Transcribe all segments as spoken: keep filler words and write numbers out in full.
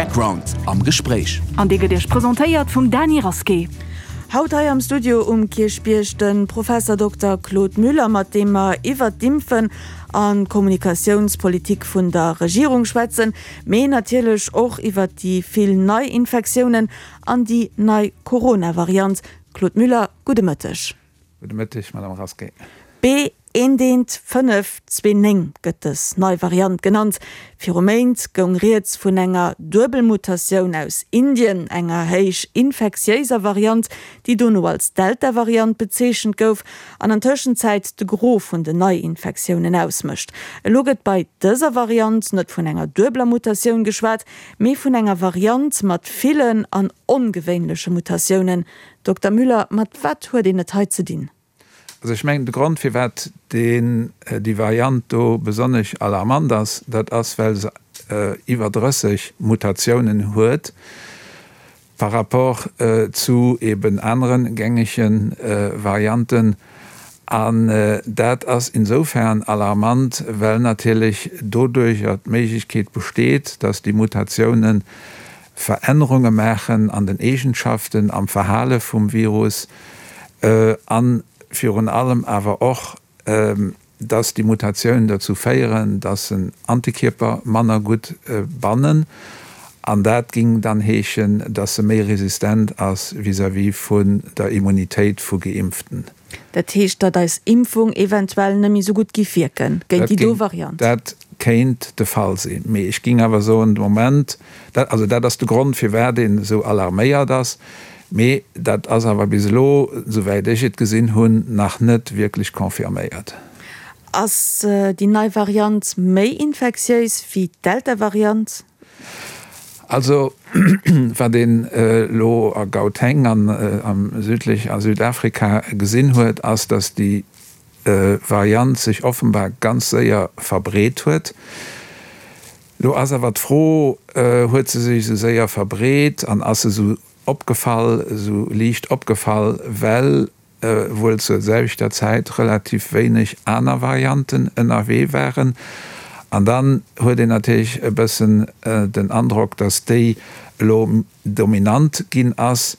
Background am Gespréich. An dee gëtt Iech presentéiert vum Dany Rasqué. Haut hei am Studio um Kierchbierg de Professer Dokter Claude Müller, mat deem mer iwwert d'Impfen an d'Kommunikatiounspolitik vun der Regierung schwätzen, mee natierlech och iwwert déi vill Neiinfektiounen an déi nei Corona-Variant. Claude Müller, gudde Mëtteg. Gudde Mëtteg, Madame Rasqué. B eent eent fënnef zwee néng gëtt dës nei Variant genannt. Viru Méint goung rieds vun enger Duebelmutatioun aus Indien, enger héich infektiéiser Variant, déi dono als Delta-Variant bezeechent gouf an an Tëschenzäit de Gros vun den Neiinfektiounen ausmécht. Elo gëtt bei dëser Variant net vun enger duebeler Mutatioun geschwat, mee vun enger Variant mat villen an ongewéinleche Mutatiounen. Dokter Müller, mat wat huet een et hei ze dinn? Also ech mengen, de Grond, firwat deen, déi Variant do besonnesch alarmant ass, dat ass, well se iwwer drësseg Mutatiounen huet par rapport zu eben anere gängege Varianten. An dat ass insofern alarmant, well natierlech doduercher d'Méiglechkeet besteet, dass déi Mutatiounen Verännerunge maachen an den Eegenschaften, am Verhale vum Virus a virun allem awer och, dass déi Mutatiounen dozou féieren, dass se Antikierper manner gutt bannen. An dat géing dann heeschen, dass se méi resistent ass vis-à-vis vun der Immunitéit vu Geimpften. Dat heescht, datt eis Impfung eventuell net méi esou gutt giff wierken géint déi do Variant? Dat kéint de Fall sinn. Mee ech géing awer soen, de Moment, dat, also dat ass de Grond, firwat een esou alarméiert ass. Mee dat ass awer bis elo, souwäit ech et gesinn hunn, nach net wierklech confirméiert. Ass déi nei Variant méi infektiéis wéi d'Delta-Variant? Also wat een elo a Gauteng an am südlech a Südafrika gesinn huet, ass, datt déi Variant sech offenbar ganz séier verbreet huet. Elo ass awer d'Fro, huet se sech esou séier verbreet an ass se esou opgefall, esou liicht opgefall, well wuel zur selwechter Zäit relativ wéineg aner Varianten ënnerwee waren. An dann huet een natierlech e bëssen den Androck, datt déi elo dominant ginn ass.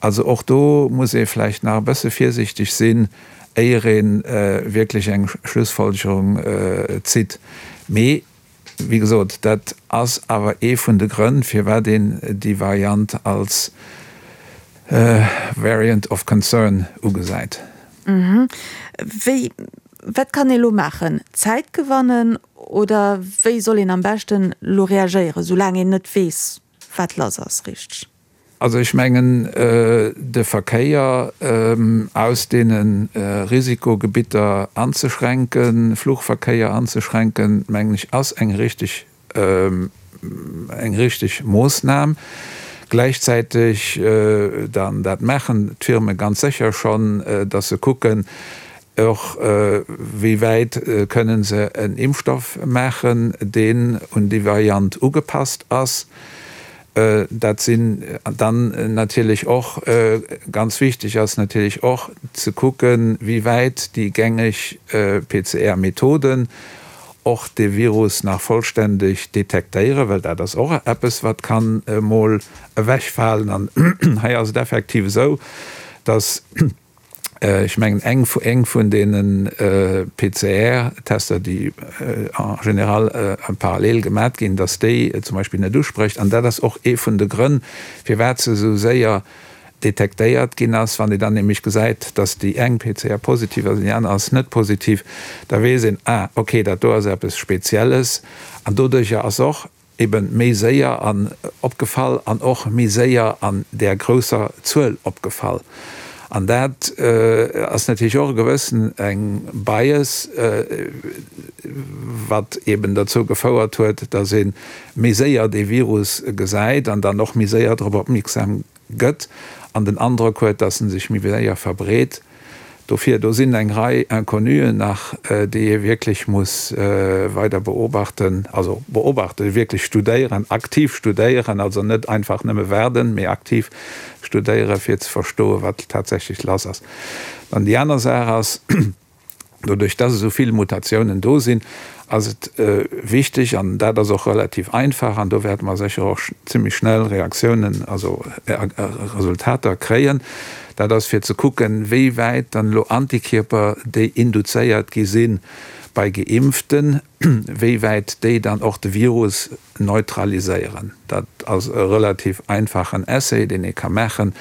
Also och do muss ee vläicht nach e bësse virsiichteg sinn, éier ee wierklech eng Schlussfolgerung zitt. Mee wéi gesot, dat ass awer ee vun de Grënn, firwat een déi Variant als Variant of Concern ugesäit. Wéi, wat kann ee lo maachen? Zäit gewannen oder wéi soll een am beschten lo reagéieren, soulaang een net weess, wat lass ass, richteg? Also ech mengen, de Verkéier aus deene Risikogebitter anzeschränken, Fluchverkéier anzeschränken, mengen ech, ass eng richteg, eng richteg Moossnam. Gläichzäiteg dann, dat maachen d'Firme ganz sécher schonn, datt se kucken och, wéi wäit kënnen se en Impfstoff maachen, deen un déi Variant ugepasst ass. Dat sinn dann natierlech och, ganz wichteg ass natierlech och ze kucken, wéi wäit déi gängeg P C R-Methoden och de Virus nach vollständeg detektéieren, well dat ass och eppes, wat kann emol ewechfalen. An hei ass et effektiv esou, dass, ech mengen, eng eng vun deene P C R-Tester, déi en général en parallel gemat ginn, dass déi zum Beispill net usprécht. An dat ass och ee vun de Grënn, firwat se esou séier detektéiert ginn ass. Wann ee dann nämlech gesäit, dass déi eng P C R positiv ass an déi aner ass net positiv, da weess een, ah, okay, dat do ass eppes Spezielles. An doduercher ass och eben méi séier an opgefall an och méi séier an där grousser Zuel opgefall. An dat ass natierlech och e gewëssen eng Bias, wat eben dozou gefouert huet, dass ee méi séier dee Virus gesäit an dann och méi séier drop opmierksam gëtt an den Androck huet, dass en sech méi séier verbreet. Dofir, do sinn eng Rei Inconnuen nach, déi ee wierklech muss weider beobachten, also beobachten, wierklech studéieren, aktiv studéieren, also net einfach nëmme waarden, mee aktiv studéieren, fir ze verstoen, wat tatsächlech lass ass. Dann déi aner Saach ass, doduerch dass esou vill Mutatiounen do sinn, ass et wichteg, an dat ass och relativ einfach, an do wäerte mer sécher och zimmlech schnell Reaktiounen, also Resultater kréien, dat ass fir ze kucken, wéi wäit dann elo Antikierper, déi induzéiert gi si bei Geimpften, wéi wäit déi dann och de Virus neutraliséieren. Dat ass e relativ einfachen Essay, deen ee ka maachen.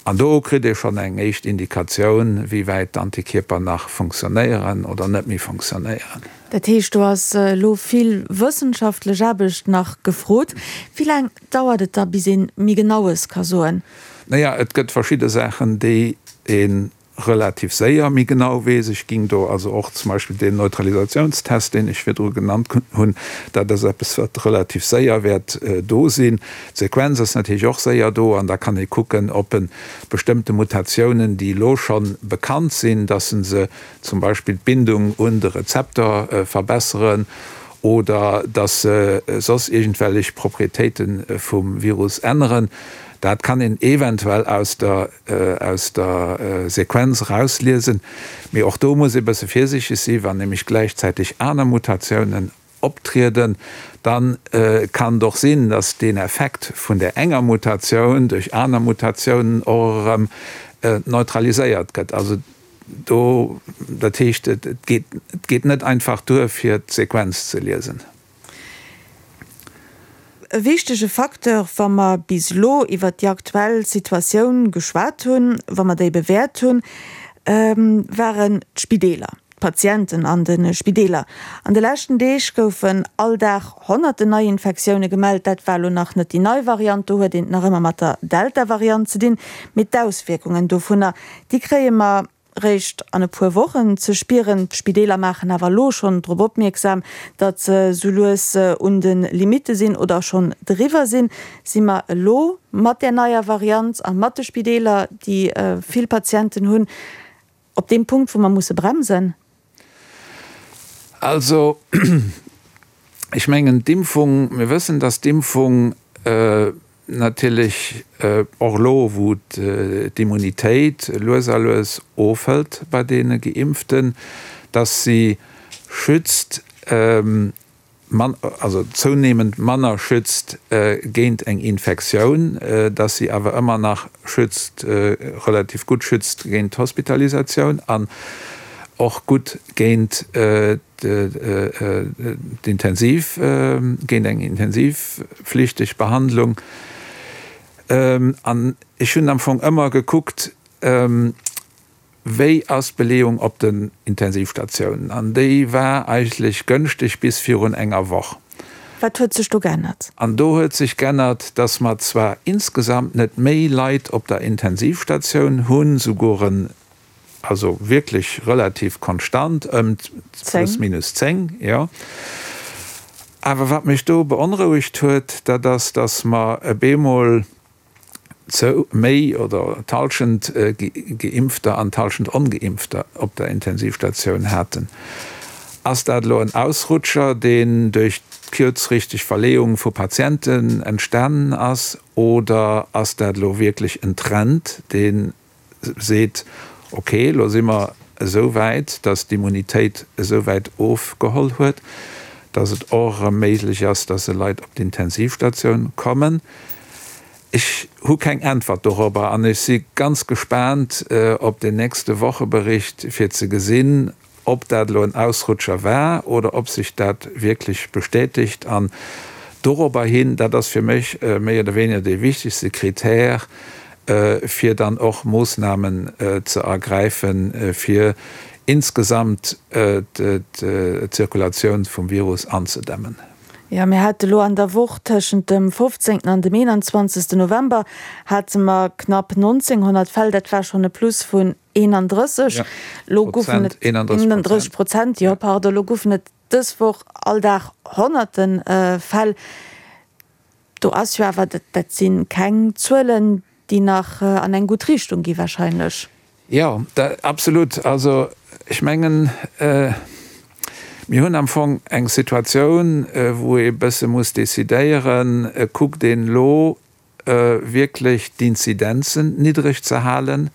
An do kritt ee schonn eng éischt Indikatioun, wéi wäit d'Antikierper nach funktionéieren oder net méi funktionéieren. Dat heescht, do ass elo vill wëssenschaftlech Aarbecht nach gefrot. Wéi laang dauert et da, bis ee méi Genaues ka soen? Naja, et gëtt verschidde Saachen, déi ee relativ séier méi genau weess. Ech géing do also och zum Beispill deen Neutralisationstest, deen ech virdru genannt hunn, dat ass eppes, wat relativ séier wäert do sinn. D'Sequenz ass natierlech och séier do an da kann ee kucken, ob e bestëmmte Mutatiounen, déi elo scho bekannt sinn, dass se se zum Beispill d'Bindung un de Rezeptor verbesseren oder dass se soss iergendwellech Proprietéite vum Virus änneren. Dat kann een eventuell aus der, aus der Sequenz erausliesen. Mee och do muss ee bësse virsiichteg sinn, wann nämlech gläichzäiteg aner Mutatiounen optrieden, da kann et och sinn, dass deen Effekt vun där enger Mutatioun duerch aner Mutatiounen och erëm neutraliséiert gëtt. Also do, dat heescht, et geet, et geet net einfach duer, fir d'Sequenz ze liesen. E wichtege Facteur, wa mer bis elo iwwert déi aktuell Situatioun geschwat hunn, wa mer déi bewäert hunn, waren d'Spideeler, d'Patienten an de Spideeler. An de leschten Deeg goufen all Dag honnerten Neiinfektioune gemellt. Dat war elo nach net déi nei Variant, do huet een et nach ëmmer mat der Delta-Variant ze dinn. Mee d'Auswierkungen dovunner, déi kréie mer réischt an e puer Wochen ze spieren. D'Spideeler maachen awer elo schonn drop opmierksam, datt se sou lues un de Limitte sinn oder schonn driwwer sinn. Si mer elo mat där neier Variant a mat de Spideeler, déi vill Patienten hunn, op deem Punkt, wou mer musse bremsen? Also, ech mengen, d'Impfung, mir wëssen, datt d'Impfung natierlech och elo, wou d'Immunitéit lues a lues ofhëlt bei deene Geimpften, dass si schützt, also zounehmend manner schützt géint eng Infektioun, dass si awer ëmmer nach schützt, relativ gutt schützt géint d'Hospitalisatioun an och gutt géint d'Intensiv, géint eng intensivpflichteg Behandlung. An ech hunn am Fong ëmmer gekuckt, wéi ass d'Beleeung op den Intensivstatiounen. An déi war eigentlech gënschteg bis virun enger Woch. Wat huet sech do geännert? An do huet sech geännert, dass mer zwar insgesamt net méi Leit op der Intensivstatioun hunn, souguer en, also wierklech relativ konstant ëm plus minus zéng, jo. Awer wat mech do beonrouegt huet, dat ass, dass mer e bemol zou méi oder d'Hallschent Geimpfter an d'Hallschent Ongeimpfter op der Intensivstatioun haten. Ass dat elo en Ausrutscher, deen duerch d'kuerzfristeg Verleeung vu Patienten entstanen ass, oder ass dat elo wierklech en Trend, dee seet, ok, elo si mer esou wäit, dass d'Immunitéit esou wäit ofgeholl huet, dass et och erëm méiglech ass, dass se Leit op d'Intensivstatioun kommen? Ech hu keng Äntwert dorobber an ech si ganz gespaant op den nächste Wochebericht, fir ze gesinn, ob dat elo en Ausrutscher war oder ob sech dat wierklech bestätegt. An dorobber hin, dat ass fir mech méi oder weniger dee wichtegste Kritär, fir dann och Moossnamen ze ergräifen, fir insgesamt d'Zirkulatioun vum Virus anzedämmen. Jo, mir hate lo an der Woch tëschent dem fofzéngten an dem eenanzwanzegsten November hate mer knapp nonzénghonnert Fäll, dat war schonn e Plus vun eenandrësseg. Lo goufen et eenandrësseg Prozent, jo, pardon, lo goufen et dës Woch all Dag honnerte Fäll. Do ass jo awer, dat si keng Zuelen, déi nach an eng gutt Richtung gi wahrscheinlech. Jo, absolut. Also ech mengen, mir hunn am Fong eng Situatioun, wou ee bësse muss decidéieren, kuckt een elo wierklech d'Inzidenzen niddreg ze halen,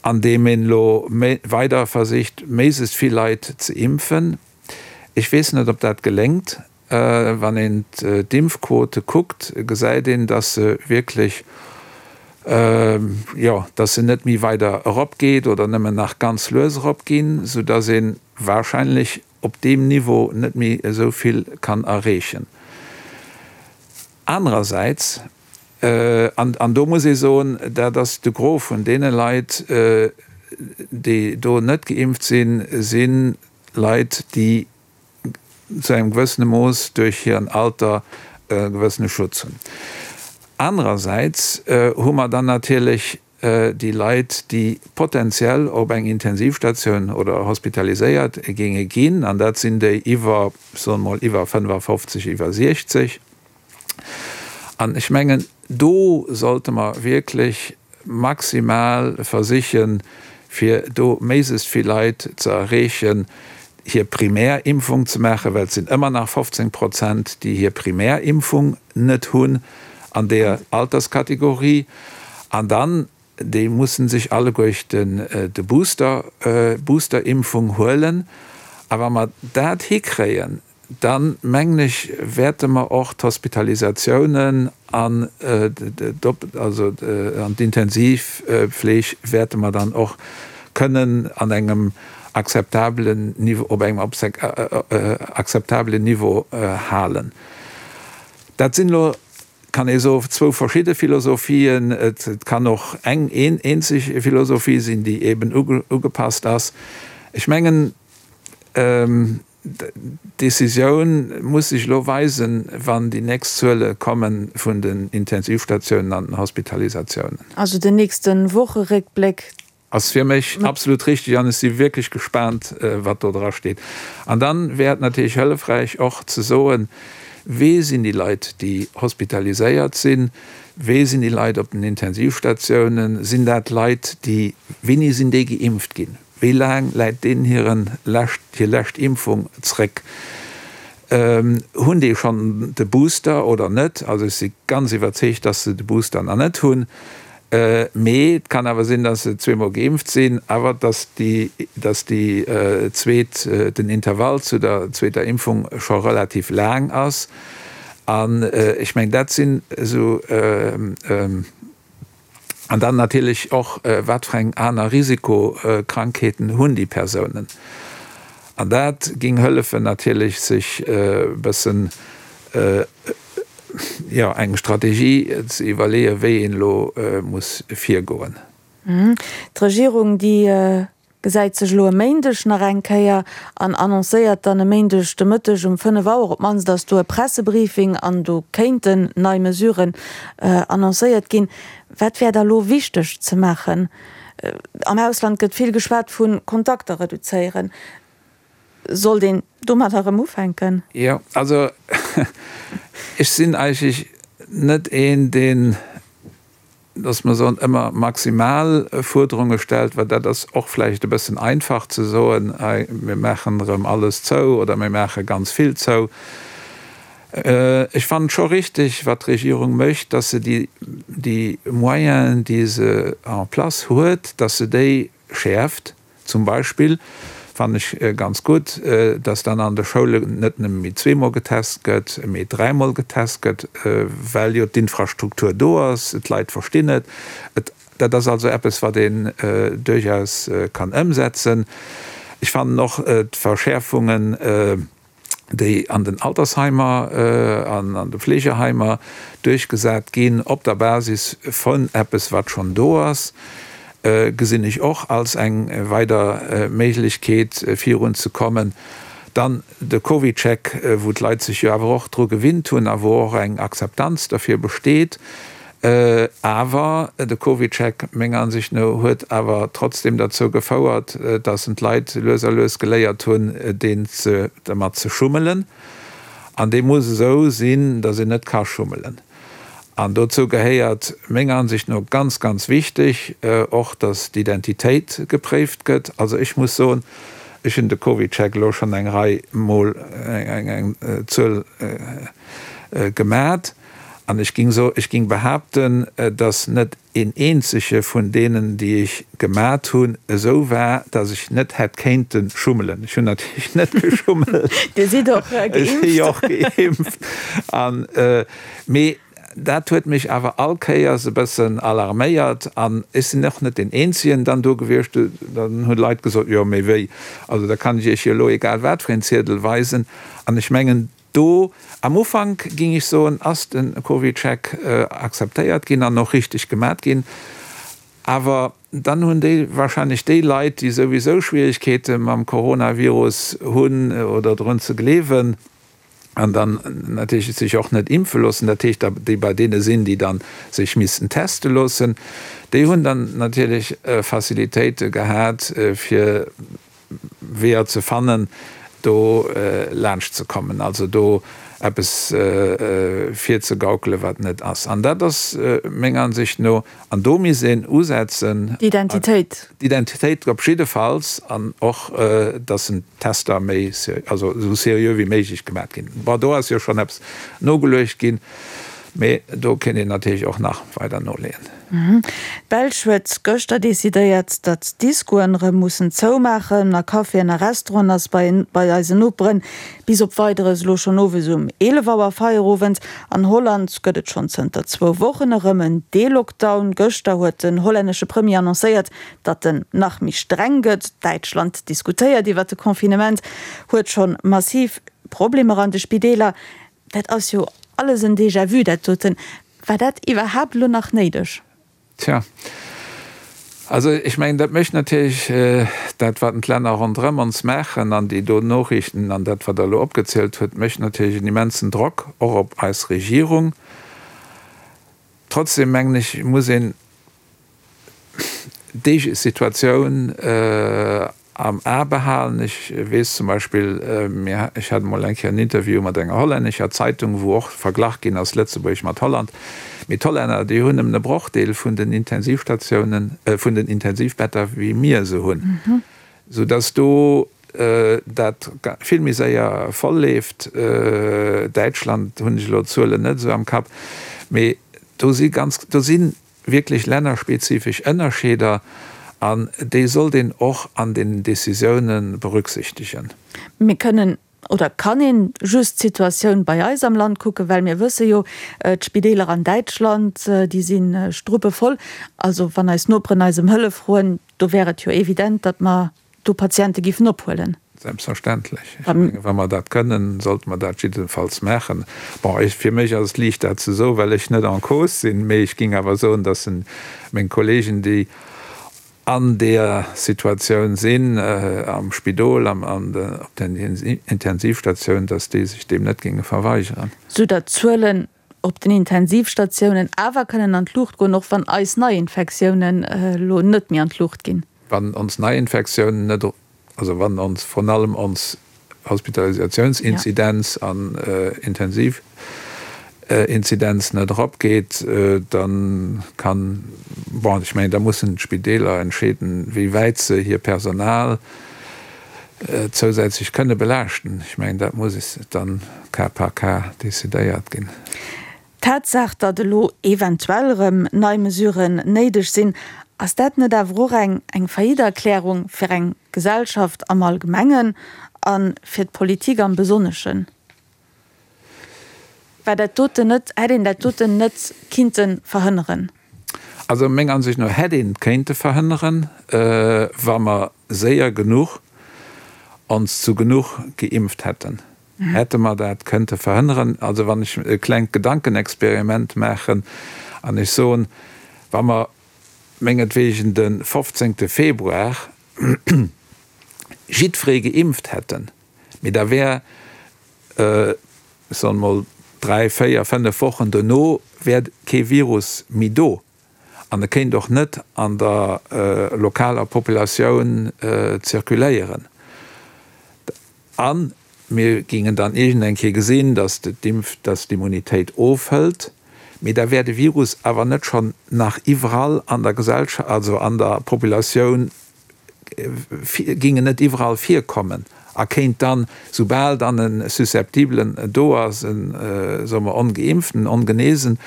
andeem een elo weider versicht, méiglechst vill Leit ze impfen. Ech weess net, ob dat geléngt. Wann een d'Impfquote kuckt, gesäit een, dass se wierklech, jo, dass se net méi weider eropgeet oder nëmmen nach ganz lues eropginn, soudass ee warscheinlech op deem Niveau net méi esou vill kann erreechen. Anerersäits, an do muss ee soen, dat ass de Gros vun deene Leit, déi do net geimpft sinn, si Leit, déi zu engem gewëssene Mooss duerch hiren Alter e gewëssene Schutz hunn. Anerersäits hu mer dann natierlech déi Leit, déi potenziell op eng Intensivstatioun oder hospitaliséiert géinge ginn, an dat sinn déi iwwer, soe mer mol, iwwer fënnefafofzeg, iwwer siechzeg. An ech mengen, do sollte mer wierklech maximal versichen, fir do méiglechst vill Leit ze erreechen, hir Primärimpfung ze maachen, well et sinn ëmmer nach fofzéng Prozent, déi hir Primärimpfung net hunn an deeër Alterskategorie. An dann, déi mussen sech alleguerten de Booster, d'Boosterimpfung huelen. A wa mer dat hikréien, dann, mengen ech, wäerte mer och d'Hospitalisatiounen an d'Intensivfleeg wäerte mer dann och kënnen an engem akzeptabelen Niveau, op engem akzeptabelen Niveau halen. Dat sinn elo, kann ee soen, zwou verschidde Philosophien. Et kann och eng eenzeg Philosophie sinn, déi eben ugepasst ass. Ech mengen, d'Decisioun muss sech elo weisen, wann déi nächst Zuele komme vun den Intensivstatiounen an den Hospitalisatiounen. Also den nächste Wocheréckbléck. Ass fir mech absolut richteg an ech si wierklech gespaant, wat do dra steet. An dann wär et natierlech hëllefräich och ze soen, Wee sinn déi Leit, déi hospitaliséiert sinn? Wee sinn déi Leit op den Intensivstatiounen? Sinn dat Leit, déi, wéini sinn déi geimpft ginn? Wéi laang läit deenen hiren lescht, hir lescht Impfung zréck? Hunn déi schonn de Booster oder net? Also ech si ganz iwwerzeegt, dass se de Booster nach net hunn. Mee et kann awer sinn, dass se zweemol geimpft sinn, awer dass déi, dass déi zweet, den Intervall zu der zweeter Impfung scho relativ laang ass. An ech mengen, dat sinn esou. An dann natierlech och, wat fir eng aner Risikokrankheeten hunn déi Persounen. An dat géing hëllefen natierlech, sech e bëssen, jo, eng Strategie ze iwwerleeën, wéi een elo muss virgoen. D'Regierung, déi gesäit sech elo e Méindeg nach eng Kéier an annoncéiert dann e Méindeg de Mëtteg um fënnef Auer, op d'mannst ass do e Pressebriefing an do kéinten nei Mesuren annoncéiert ginn. Wat wär da elo wichteg ze maachen? Am Ausland gëtt vill geschwat vu Kontakter reduzéieren. Sollt een domadder erëm ufänken? Jo, also ech sinn eigentlech net een, deen, dass mer soen, ëmmer maximal Fuerderunge stellt, well dat ass och vläicht e bëssen einfach ze soen, hei mir maachen erëm alles zou oder mir maache ganz vill zou. Ech fannen et scho richtig, wat d'Regierung mécht, dass se déi, déi Moyenen, déi se en place huet, dass se déi schäerft. Zum Beispill fannen ech ganz gutt, dass dann an de Schoulen net nëmme méi zweemol getest gëtt, mee dräimol getest gëtt, well jo d'Infrastruktur do ass, d'Leit verstinn et. Dat ass also eppes, wat een duerchaus kann ëmsetzen. Ech fannen och d'Verschäerfungen, déi an den Altersheimer an an de Fleegeheimer duerchgesat ginn, op der Basis vun eppes, wat schonn do ass, gesinn ech och als eng weider Méiglechkeet, virunzekommen. Dann de CovidCheck, wou d'Leit sech jo awer och dru gewinnt hunn a wou och eng Akzeptanz derfir besteet. Awer de CovidCheck, menger Ansicht no, huet awer trotzdem derzou gefouert, dass en d'Leit lues a lues geléiert hunn, deen ze, dermat ze schummelen. An dee muss esou sinn, dass een net ka schummelen. An dozou gehéiert, menger Ansicht no, ganz, ganz wichteg och, dass d'Identitéit gepréift gëtt. Also ech muss soen, ech hunn de CovidCheck elo schonn eng Rei Mol, eng, eng Zuel gemat. An ech ging so, ech ging behaapten, dass net een eenzege vun deenen, déi ech gemat hunn, esou war, dass ech net hätt kéinte schummelen. Ech hunn natierlech net geschummelt. Dir sidd och geimpft. Ech si jo och geimpft. An, mee dat huet mech awer all Kéiers e bëssen alarméiert. An ech sinn och net deen Eenzegen dann do gewiescht. Dann hunn Leit gesot, jo mee wéi, also da kann ech Iech jo elo egal wat fir een Ziedel weisen. An ech mengen, do am Ufank, géing ech soen, ass de CovidCheck akzeptéiert ginn an och richteg gemat ginn. Awer dann hunn déi wahrscheinlech déi Leit, déi souwisou Schwierigkeete mam Coronavirus hunn oder drun ze gleewen an dann natierlech sech och net impfe loossen, dat heescht déi bei deene sinn, déi dann sech missten teste loossen, déi hunn dann natierlech Facilitéite gehat, fir Weeër ze fannen, do laanscht ze kommen, also do eppes virzegaukelen, wat net ass. An dat ass menger Ansicht no, an do misst een usetzen. D'Identitéit. D'Identitéit op jiddefalls, an och, dass en d'Tester méi, also esou seriö wéi méiglech gemaat ginn. Bon, do ass jo schonn eppes nogeluecht ginn, mee do kéint een natierlech och nach weider noleeën. D'Belsch huet gëschter decidéiert, datt d'Discoen erëm mussen zoumaachen. A Caféen a Restauranten ass bei bei eisen Noperen bis op Weideres elo schonn owes um eelef Auer Feierowend. An Holland gëtt et schonn zënter zwou Wochen erëm en Delockdown. Gëschter huet den hollännesche Premier annoncéiert, datt en nach méi streng gëtt. Däitschland diskutéiert iwwert de Confinement, huet schonn massiv Problemer an de Spideeler. Dat ass jo alles en Déjà-vu, dat doten. War dat iwwerhaapt elo nach néideg? Tja, also ech mengen, dat mécht natierlech dat, wat d'Länner ronderëm ons maachen an déi do Noriichten an dat, wat Der elo opgezielt hutt, mécht natierlech en immensen Drock och op eis Regierung. Trotzdem mengen ech, muss een déi Situatioun am A behalen. Ech weess zum Beispill, mir, ech hat emol eng Kéier en Interview mat enger hollännescher Zeitung, wou och verglach ginn ass Lëtzebuerg mat Holland. Mee d'Hollänner, déi hunn nëmmen e Brochdeel vun den Intensivstatiounen, vun den Intensivbetter, wéi mir se hunn, soudass do dat vill méi séier voll leeft. Däitschland hunn ech elo d'Zuelen net esou am Kapp, mee do si ganz, do si wierklech lännerspezifesch Ënnerscheeder an déi sollt een och an den Décisiounen berücksichtegen. Mir kënnen oder kann een just d'Situatioun bei eis am Land kucken, well mir wësse jo, d'Spideeler an Däitschland, déi si struppevoll. Also wann eis Noperen eis ëm Hëllef froen, do wär et jo evident, datt mer do Patiente giffen ophuelen. Selbstverständlech. Ech mengen, wa mer dat kënnen, sollte mer dat jiddefalls maachen. Bon, ech, fir mech ass et liicht, dat ze soen, well ech net en cause sinn, mee ech géing awer soen, dass meng Kollegen, déi an deeër Situatioun sinn, am Spidol, am, an de, op den Intensivstatioun, dass déi sech deem net géinge verweigeren. Soudatt d'Zuelen op den Intensivstatiounen awer kënnen an d'Luucht goen, och wann eis Neiinfektiounen elo net méi an d'Luucht ginn. Wann ons Neiinfektiounen net, also wann ons vrun allem ons Hospitalisationsinzidenz an Intensivinzidenz net eropgeet, da kann, bon, ech mengen, da mussen d'Spideeler entscheeden, wéi wäit se hir Personal zousätzlech kënne belaaschten. Ech mengen, dat muss dann cas par cas decidéiert ginn. D'Tatsaach, datt elo eventuell erëm nei Mesuren néideg sinn, ass dat net awer och eng eng Faillite-Erklärung fir eng Gesellschaft am Allgemengen a fir d'Politik am Besonneschen? War dat doten net, hätt een dat doten net kinnte verhënneren? Also menger Ansicht no hätt een et kéinte verhënneren, wa mer séier genuch ons zu genuch geimpft hätten. Hätte mer dat kënnte verhënneren. Also wann ech e klengt Gedankenexperiment maachen an ech soen, wa mer mengetwegen de fofzéngte Februar jiddweree geimpft hätten, mee da wär, ech soen emol, dräi, véier, fënnef Wochen dono wär kee Virus méi do an e kéint och net an der lokaler Populatioun zirkuléieren. A mir gingen dann iergendeng Kéier gesinn, dass d'Impf, dass d'Immunitéit ofhëlt, mee da wär de Virus awer net schonn nach iwwerall an der Gesellschaft, also an der Populatioun, ging en net iwwerall virkommen. a kéint dann, soubal dann e Susceptibelen do ass, en, soe mer, Ongeimpften, Ongenesen,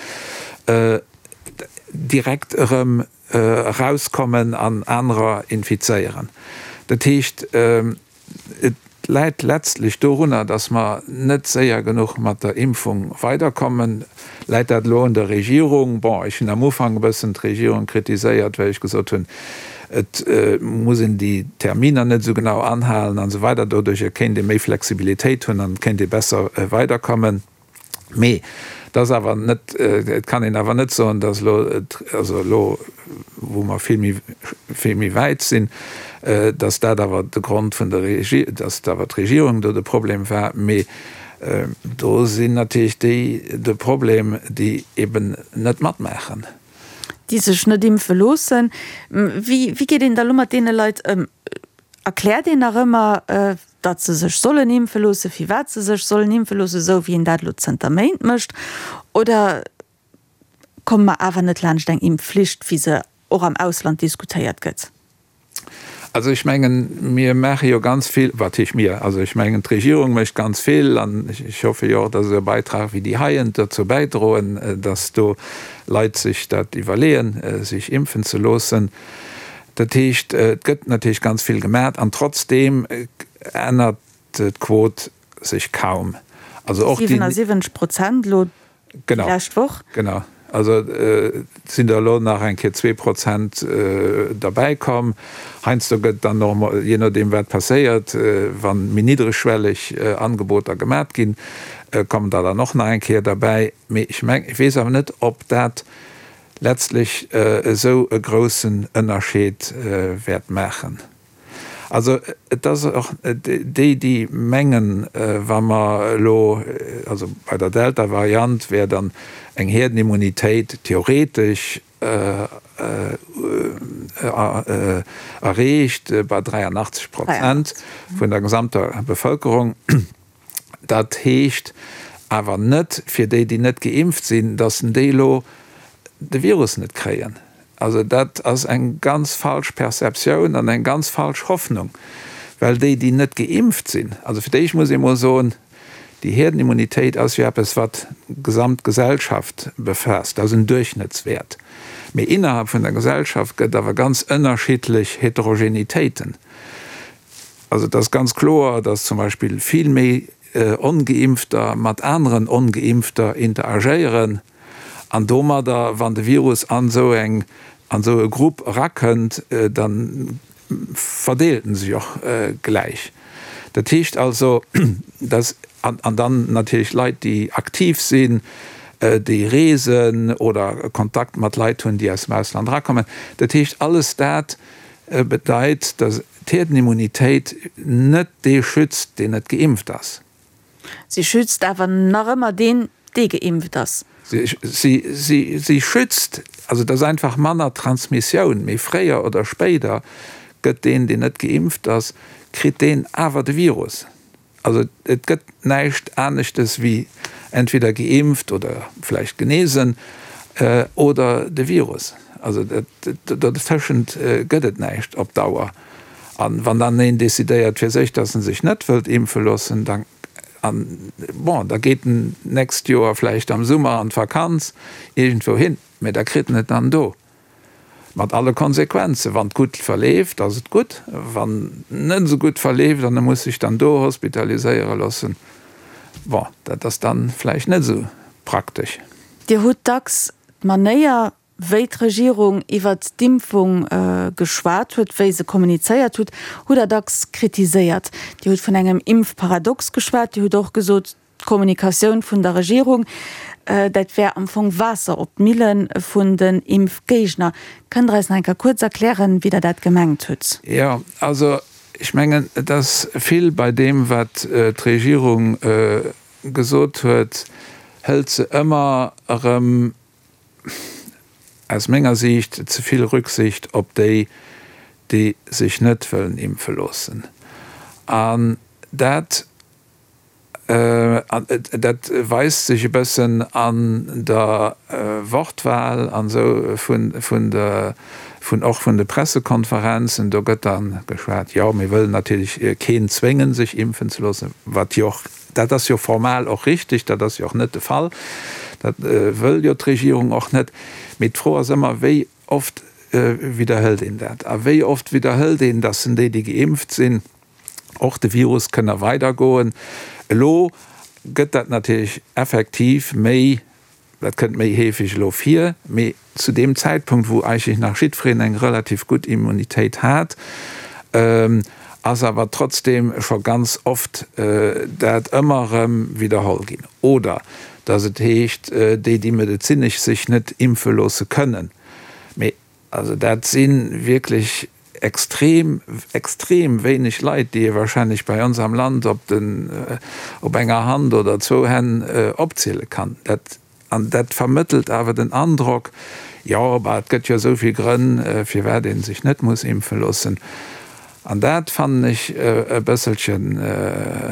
direkt erëm erauskommen an anerer infizéieren. Dat heescht, et läit letztlech dorunner, dass mer net séier genuch mat der Impfung weiderkommen. Läit dat elo un der Regierung? Bon, ech hunn am Ufank e bëssen d'Regierung kritiséiert, well ech gesot hunn, et muss een déi Terminer net esou genau anhalen an esou weider. Doduerjer kéint ee méi Flexibilitéit hunn an et kéint ee besser weiderkommen. Mee et ass awer net, et kann een awer net soen, datt elo, also elo wou mer vill méi, vill méi wäit sinn, datt dat awer de Grond vun der Regi-, datt awer d'Regierung do de Problem war. Mee do sinn natierlech déi de Problem, déi eben net matmaachen. Déi sech net impfe loossen. Wéi, wéi geet een da elo mat deene Leit ëm? Erkläert een nach ëmmer, datt se sech sollen impfe loossen, firwat se sech sollen impfe loossen, esou wéi een dat elo zënter Méint mécht? Oder komme mer awer net laanscht eng Impfflicht, wéi se och am Ausland diskutéiert gëtt? Also ech mengen, mir maache jo ganz vill, wat heescht mir, also ech mengen d'Regierung mécht ganz vill an ech hoffe jo och, datt esou e Beitrag wéi déi heien dozou bäidroen, datt do Leit sech dat iwwerleeën, sech impfen ze loossen. Dat heescht, et gëtt natierlech ganz vill gemat an trotzdeem ännert d'Quot sech kaum. Also och déi. siwenssiwwenzeg Prozent elo déi lescht Woch. Genau, also et sinn der elo nach eng Kéier zwee Prozent derbäi komm. Heiansdo gëtt dann och emol, jee nodeem wat passéiert, wa méi niddregschwelleg Angeboter gemat ginn, kommen der dann och nach eng Kéier derbäi. Mee ech meng, ech weess awer net, ob dat letztlech esou e groussen Ënnerscheed wäert maachen. Also et ass och déi, déi mengen, wa mer elo, also bei der Delta-Variant wär dann eng Herdenimmunitéit theoretesch erreecht bei dräianachtzeg Prozent vun der gesamter Bevëlkerung. Dat heescht awer net fir déi, déi net geimpft sinn, datt déi elo de Virus net kréien. Also dat ass eng ganz falsch Perceptioun an eng ganz falsch Hoffnung, well déi, déi net geimpft sinn, also fir d'éischt muss ee mol soen, déi Herdenimmunitéit ass jo eppes, wat d'gesamt Gesellschaft befaasst, dat ass en Duerchschnëttswäert. Mee innerhalb vun der Gesellschaft gëtt awer ganz ënnerschiddlech Heterogenitéiten. Also et ass ganz kloer, datt zum Beispill vill méi Ongeimpfter mat aneren Ongeimpfter interagéieren an domadder, wann de Virus an esou eng, an esou e Grupp erakënnt, da verdeelt en sech och gläich. Dat heescht also, dass, an dann natierlech Leit, déi aktiv sinn, déi reesen oder Kontakt mat Leit hunn, déi aus dem Ausland erakommen. Dat heescht, alles dat bedeit, dass d'Herdenimmunitéit net dee schützt, deen net geimpft ass. Si schützt awer nach ëmmer deen, dee geimpft ass. Si schützt, also et ass einfach manner Transmissioun, mee fréier oder spéider gëtt deen, deen net geimpft ass, kritt deen awer de Virus. Also et gëtt näischt aneschtes wéi entweder geimpft oder vläicht genesen oder de Virus. Also dotëschent gëtt et näischt op Dauer. A wann dann een decidéiert fir sech, datt en sech net wëllt impfe loossen, da bon, da geet en d'nächst Joer vläicht am Summer an d'Vakanz iergendwou hin, mä da kritt en et dann do. Mat alle Konsequenzen. Wann et gutt verleeft, ass et gutt. Wann et net esou gutt verleeft an e muss sech dann do hospitaliséiere loossen, bon, dat ass dann vläicht net esou praktesch. Dir hutt dacks d'Manéier, wéi d'Regierung iwwert d'Impfung geschwat huet, wéi se kommunizéiert hutt, hutt Der dacks kritiséiert. Dir hutt vun engem Impfparadox geschwat. Dir hutt och gesot, d'Kommunikatioun vun der Regierung, dat wär am Fong Waasser op d'Mille vun den Impfgéigner. Kënnt Der eis nach eng Kéier kuerz erklären, wéi Der dat gemengt hutt? Jo, also ech mengen, et ass vill bei deem, wat d'Regierung gesot huet, hëlt se ëmmer erëm aus menger Siicht ze vill Rücksicht op déi, déi sech net wëllen impfe loossen. An dat An dat weist sech e bëssen an der Wortwahl an esou vun, vun der, vun och vun de Pressekonferenzen. Do gëtt dann geschwat, jo, mir wëllen natierlech keen zwéngen, sech impfen ze loossen, wat jo och, dat ass jo formal och richtig, dat ass jo och net de Fall, dat wëll jo d'Regierung och net. Mee d'Fro ass ëmmer, wéi oft widderhëlt een dat? A wéi oft widderhëlt een, dass en déi, déi geimpft sinn, och de Virus kënne weidergoen? Elo gëtt dat natierlech effektiv méi, dat kënnt méi heefeg elo vir, mee zu deem Zäitpunkt, wou eigentlech nach jiddwereen eng relativ gutt Immunitéit hat, ass awer trotzdeem scho ganz oft dat ëmmer erëm widderholl ginn. Oder dass et heescht, déi, déi medezinesch sech net impfe loosse kënnen. Mee also dat si wierklech extrem, extrem wéineg Leit, déi ee wahrscheinlech bei ons am Land op den, op enger Hand oder zwou Hänn opziele kann. Dat, an dat vermëttelt awer den Androck, jo, bah, et gëtt jo esou vill Grënn, firwat ee sech net muss impfe loossen. An dat fannen ech e bësselchen,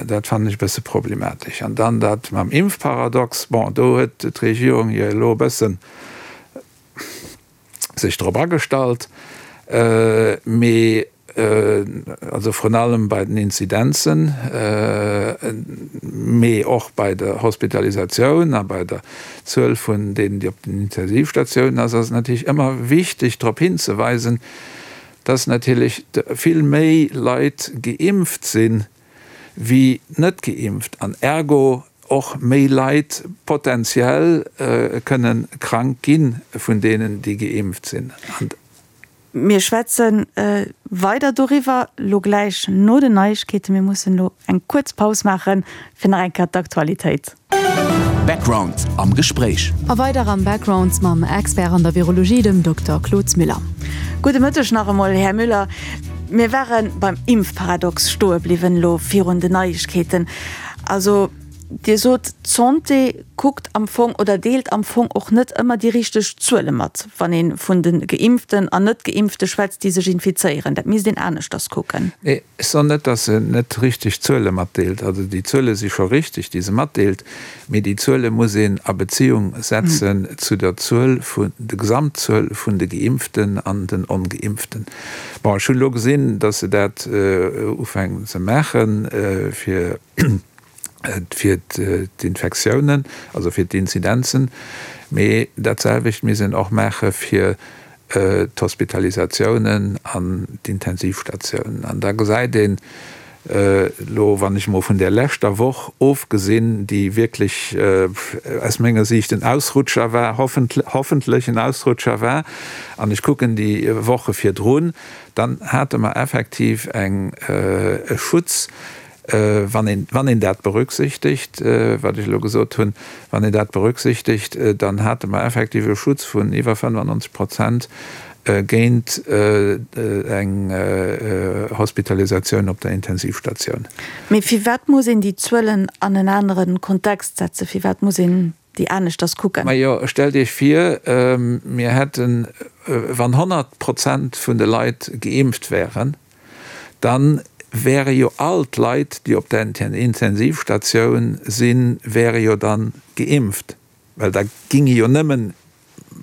dat fannen ech e bësse problematesch. An dann dat mam Impfparadox, bon, do huet d'Regierung jo elo e bëssen sech drop agestallt, mee also vrun allem bei den Inzidenzen, mee och bei der Hospitalisatioun a bei der Zuel vun deenen, déi op den Intensivstatiounen ass, ass et natierlech ëmmer wichteg drop hinzeweisen, dass natierlech vill méi Leit geimpft sinn, wéi net geimpft, an ergo och méi Leit potenziell kënnen krank gi vun deenen, déi geimpft sinn. Mir schwätze weider doriwwer lo gläich no den Neiegkeeten. Mir mussen lo eng kuerz Paus maachen, fir nach eng Kéier d'Aktualitéit. Background am Gespréich. A weider am Background mam Expert an der Virologie, dem Dokter Claude Müller. Gudde Mëtteg nach emol, Här Müller. Mir ware beim Impfparadox stoe bliwwen elo virun den Neiegkeeten. Also Dir sot, d'Santé kuckt am Fong oder deelt am Fong och net ëmmer déi richteg Zuele mat, wann ee vun de Geimpften an Net-Geimpfte schwätzt, déi sech infizéieren. Dat misst een aneschters kucken. Nee, ech soen net, datt se net richteg Zuele matdeelt. Also déi Zuele si scho richteg, déi se matdeelt, mee déi Zuele muss een a Beziung setzen zu der Zuel vun, der Gesamtzuel vun de Geimpften an den Ongeimpften. Bon, ech hunn elo gesinn, datt se dat ufänken ze maachen, fir fir d'Infektiounen, also fir d'Inzidenzen, mee dat selwecht misst een och maache fir d'Hospitalisatiounen an d'Intensivstatiounen. An da gesäit een elo, wann ech emol vun där leschter Woch ofgesinn, déi wierklech aus menger Siicht en Ausrutscher war, hoffentlech en Ausrutscher war, an ech kucken déi Woche virdrun, dann hate mer effektiv eng e Schutz, Wann een, wann een dat berücksichtegt, wat ech elo gesot hunn, wann een dat berücksichtegt, dann hate mer effektiv e Schutz vun iwwer fënnefannonzeg Prozent géint eng Hospitalisatioun op der Intensivstatioun. Mee firwat muss een déi Zuelen an en anere Kontext setzen? Firwat muss een déi aneschters kucken? Majo, stellt Iech vir, mir hätten, wann honnert Prozent vun de Leit geimpft wären, dann wäre jo all d'Leit, déi op der Intensivstatioun sinn, wäre jo dann geimpft, well da ginge jo nëmmen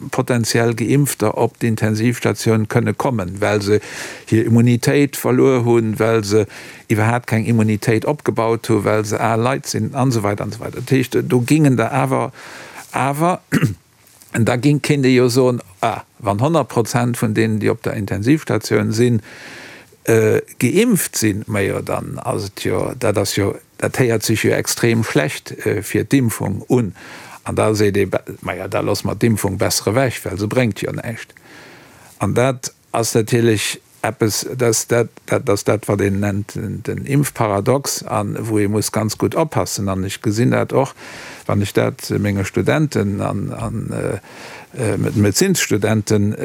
potenziell Geimpfter op d'Intensivstatioun kënne kommen, well se hir Immunitéit verluer hunn, well se iwwerhaapt keng Immunitéit opgebaut hunn, well se al Leit sinn an esou weider an esou weider. Dat heescht, do gingen der awer, awer, an da ging, kéint ee jo soen, ah, wann honnert Prozent vun deenen, déi op der Intensivstatioun sinn, geimpft sinn, majo dann ass et jo, dat ass jo, dat héiert sech jo extrem schlecht fir d'Impfung un. An da seet ee, majo da loosse mer d'Impfung besser ewech, well se bréngt jo näischt. An dat ass natierlech eppes, dat dat, dat ass dat wat een nennt den Impfparadox a wou ee muss ganz gutt oppassen. An ech gesinn dat och, wann ech dat menge Studenten an an Medezinsstudenten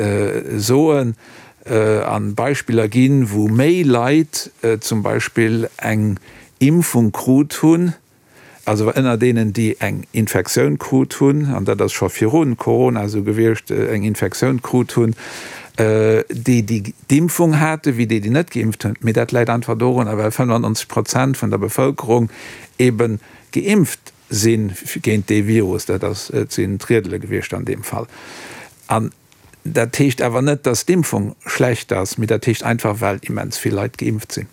soen, an Beispiller ginn, wou méi Leit zum Beispill eng Impfung krut hunn, also ënner deenen, déi eng Infektioun krut hunn, an dat ass scho viru Corona esou gewiescht, eng Infektioun krut hunn, déi, déi d'Impfung haten, wéi déi, déi net geimpft hunn. Mee dat läit einfach dorunner, well fënnefannonzeg Prozent vun der Bevëlkerung ebe geimpft si géint dee Virus. Dat ass, et sinn d'Riedele gewiescht an deem Fall. An dat heescht awer net, dass d'Impfung schlecht ass, mee dat heescht einfach, well immens vill Leit geimpft sinn.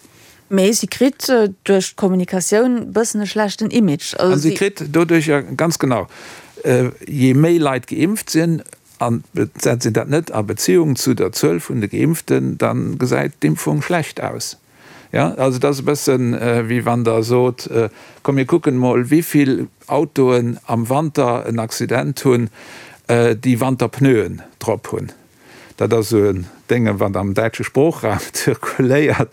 Mee si kritt duerch d'Kommunikatioun e bëssen e schlechten Image. A si kritt doduerch, ganz genau, je méi Leit geimpft sinn, an setzt een dat net a Beziung zu der Zuel vun de Geimpften, da gesäit d'Impfung schlecht aus. Jo, also dat ass e bëssen, wéi wann Der sot, komm mir kucken emol, wéi vill Autoen am Wanter en Accident hunn, déi Wanterpneuen drop hunn. Dat ass esou en Dénge wat am däitsche Sproochraum zirkuléiert.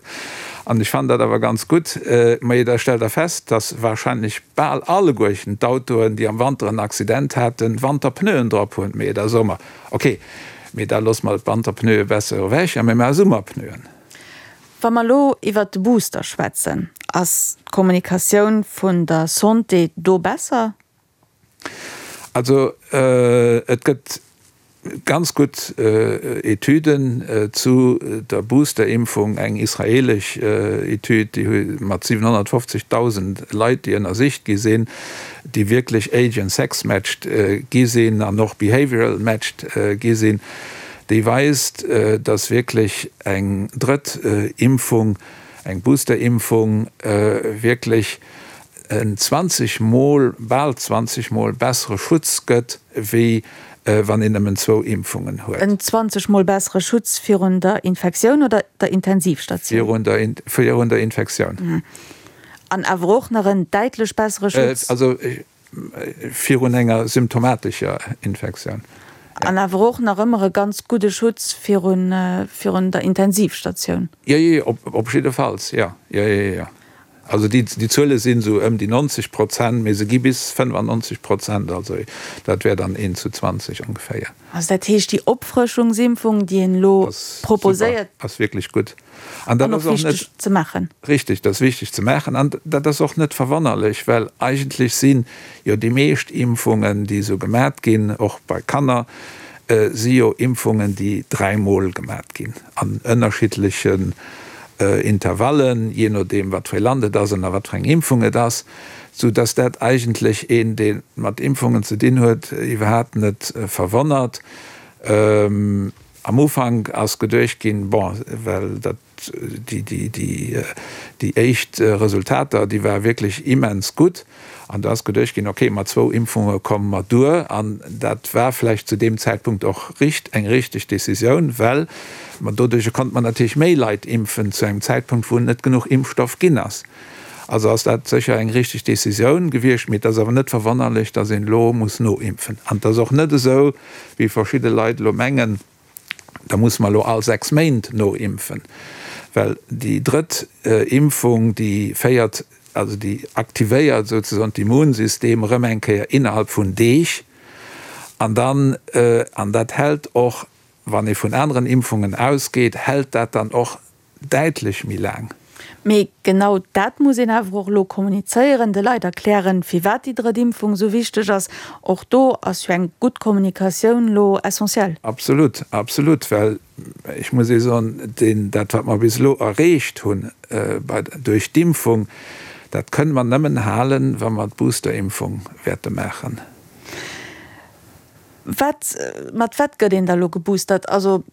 An ech fannen dat awer ganz gutt. Mee da stellt Der fest, dass wahrscheinlech bal alleguerten d'Autoen, déi am Wanter en Accident haten, Wanterpneuen drop hunn. Mee da soe mer, okay, mee da loosse mer d'Wanterpneue besser ewech a mir maache Summerpneuen. Wa mer elo iwwert de Booster schwätzen, ass d'Kommunikatioun vun der Santé do besser? Also et gëtt ganz gutt Etüden zu der Boosterimpfung, eng israelesch Etüd, déi hu mat siwenhonnertfofzegdausend Leit, déi ënnersicht gi sinn, déi wierklech age and sex matched gi sinn an och behavioral matched gi sinn, déi weist, dass wierklech eng drëtt Impfung, eng Boosterimpfung wierklech en zwanzeg Mol, bal zwanzeg Mol bessere Schutz gëtt, wéi wann een nëmmen zwou Impfungen huet. En zwanzeg Mol bessere Schutz virun der Infektioun oder der Intensivstatioun? Virun der, virun der Infektioun. An awer och nach en däitlech bessere Schutz? Also virun enger symptomatescher Infektioun. An awer och nach ëmmer e ganz gudde Schutz virun, virun der Intensivstatioun? Jo, jo, op, op jiddefalls, jo, jo, jo, jo. Also déi, déi Zuele sinn esou ëm déi neunzeg Prozent, mee se gi bis fënnefannonzeg Prozent, also dat wär dann eent zu zwanzeg ongeféier. Also dat heescht, déi Opfrëschungsimpfung, déi een elo proposéiert. Ass wierklech gutt. An dat ass och net. Wichteg ze maachen. Richtig, dat ass wichteg ze maachen. An dat ass och net verwonnerlech, well eigentlech si jo déi meescht Impfungen, déi esou gemat ginn, och bei Kanner, si jo Impfungen, déi dräimol gemat ginn an ënnerschiddlechen Intervallen, jee nodeem wat fir ee Land et ass an a wat fir eng Impfung et ass, sou dass dat eigentlech een, dee mat Impfungen ze dinn huet, iwwerhaapt net verwonnert. Am Ufank ass geduecht ginn, bon, well dat déi éischt Resultater, déi ware wierklech immens gutt, an do ass geduecht ginn, okay, mat zwou Impfunge komme mer duer. An dat war vläicht zu deem Zäitpunkt och richt eng richteg Decisioun, well mer doduerch konnte mer natierlech méi Leit impfen zu engem Zäitpunkt, wou net genuch Impfstoff ginn ass. Also ass dat sécher eng richteg Decisioun gewiescht. Mee et ass awer net verwonnerlech, datt een elo muss noimpfen. An et ass och net esou, wéi verschidde Leit elo mengen, da musse mer elo all sechs Méint noimpfen, well déi drëtt Impfung, déi féiert, also déi aktivéiert souzesoen d'Immunsystem erëm eng Kéier innerhalb vun Deeg. An dann, an dat hält och, wann ee vun aneren Impfungen ausgeet, hält dat dann och däitlech méi laang. Mee genau dat muss een awer och elo kommunizéieren, de Leit erklären, firwat déi drëtt Impfung esou wichteg ass. Och do ass jo eng gutt Kommunikatioun elo essentiell. Absolut, absolut, well ech muss ee soen, deen, dat wat mer bis elo erreecht hunn bei, duerch d'Impfung, dat kënne mer nëmmen halen, wa mer d'Boosterimpfung wäerte maachen. Wat, mat wat gëtt een da elo geboostert? Also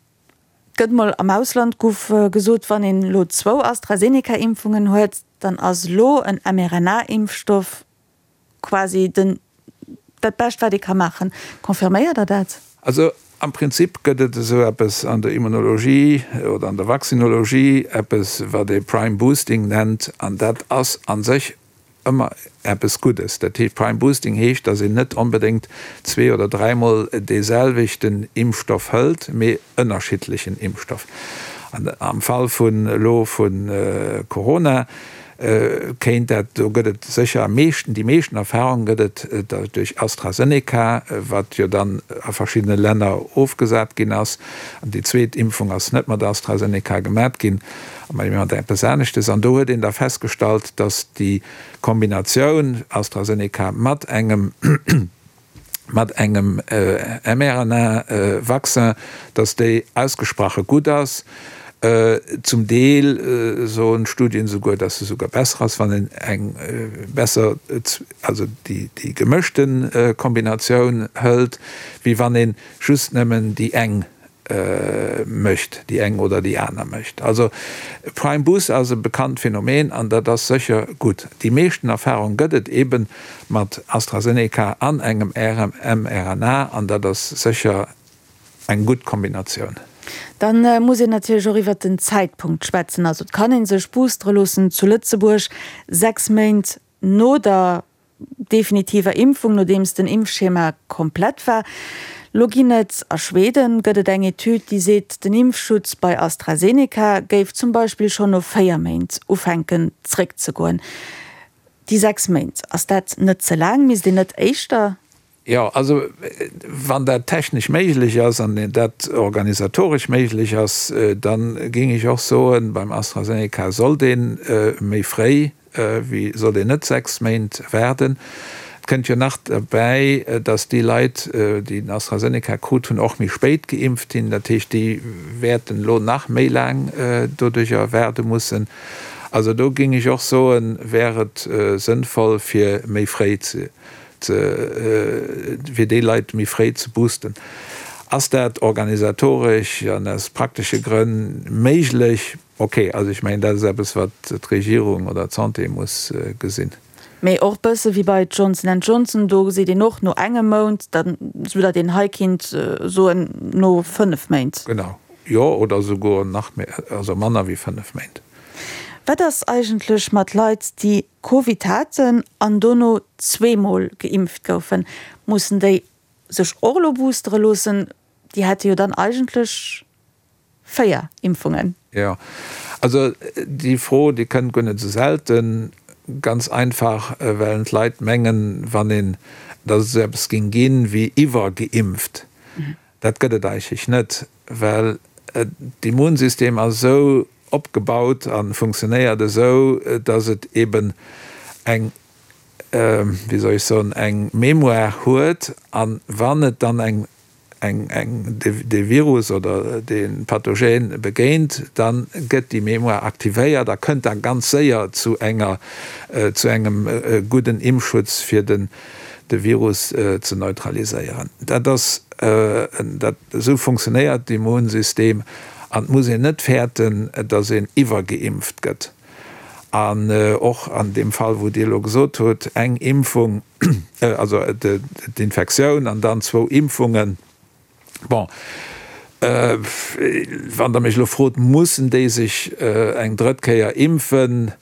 gëtt mol am Ausland guff gesot, wann een elo zwou AstraZeneca-Impfungen huet, dann ass elo en mRNA-Impfstoff quasi den, dat Bescht wat ee ka maachen. Confirméiert Der dat? Also am Prinzip gëtt et esou eppes an der Immunologie oder an der Vaccinologie, eppes wat ee Prime Boosting nennt, an dat ass a sech ëmmer eppes Guddes. Dat heescht, Prime Boosting heescht, datt een net onbedéngt zwee oder dräimol dee selwechten Impfstoff hëlt, mee ënnerschiddlechen Impfstoff. An am Fall vun elo vu Corona kéint dat, do gëtt et sécher am meeschten, déi meeschten Erfahrung gëtt et duerch AstraZeneca, wat jo dann a verschiddene Länner ofgesat ginn ass. An déi zweet Impfung ass net mat AstraZeneca gemat ginn, mee mat eppes aneschtes. An do huet een da festgestallt, datt déi Kombinatioun AstraZeneca mat engem mat engem mRNA-Vaccin, datt déi ausgesprache gutt ass. Zum Deel soen d'Studien souguer, dass se souguer besser ass, wann een eng besser, also déi gemëschte Kombinatioun hëlt, wéi wann ee just nëmmen déi eng mécht, déi eng oder déi aner mécht. Also Prime Boost ass e bekannt Phänomen an dat ass sécher gutt. Déi meeschten Erfahrung gëtt et eebe mat AstraZeneca an engem mRNA an dat ass sécher eng gutt Kombinatioun. Dann muss een natierlech och iwwert den Zäitpunkt schwätzen. Also et kann ee sech boostere loossen zu Lëtzebuerg sechs Méint no der definitiver Impfung, nodeems den Impfschema komplett war. Lo ginn et a Schweden gëtt et eng Etüd, déi seet, den Impfschutz bei AstraZeneca géif zum Beispill schonn no véier Méint ufänken zréckzegoen. Déi sechs Méint, ass dat net ze laang? Misst een net éischter? Jo, also wann dat technesch méiglech ass an dat organisatoresch méiglech ass, da géing ech och soen, beim AstraZeneca sollt ee méi fréi wéi, sollt een net sechs Méint waarden. Et kënnt jo nach derbäi, datt déi Leit, déi den AstraZeneca krut hunn, och méi spéit geimpft ginn. Dat heescht, déi wäerten elo nach méi laang doduerjer waarde mussen. Also do géing ech och soen, wär et sënnvoll fir méi fréi ze fir déi Leit méi fréi ze boosten. Ass dat organisatoresch an aus praktesche Grënn méiglech? Ok, also ech mengen, dat ass eppes, wat d'Regierung oder d'Santé muss gesinn. Mee och bësse wéi bei Johnson and Johnson, do seet een och no engem Mount, dann, soudatt een hei kinnt soen no fënnef Méint. Genau, jo, oder esouguer nach méi, also manner wéi fënnef Méint. Wat ass eigentlech mat Leit, déi Covid haten an dono zweemol geimpft goufen? Mussen déi sech och elo boostere loossen? Déi hätte jo dann eigentlech véier Impfungen. Jo, also déi Fro, déi kënnt guer net esou selten. Ganz einfach, well d'Leit mengen, wann een, datt et esou eppes géing ginn wéi iwwergeimpft. Dat gëtt et eigentlech net, well d'Immunsystem ass esou opgebaut a funktionéiert esou, dass et eben eng, wéi soll ech soen, eng Mémoire huet a wann et dann eng, eng, eng, dee Virus oder dee Pathogen begéint, da gëtt déi Mémoire aktivéiert a kënnt da ganz séier zu enger, zu engem gudden Impfschutz fir den, de Virus ze neutraliséieren. Dat ass, dat, esou funktionéiert d'Immunsystem an et muss een net fäerten, datt een iwwergeimpft gëtt. An och an deem Fall, wou Dir elo gesot hutt, eng Impfung, also d'Infektioun an dann zwou Impfungen, bon, wann Der mech elo frot, mussen déi sech eng drëtt Kéier impfen?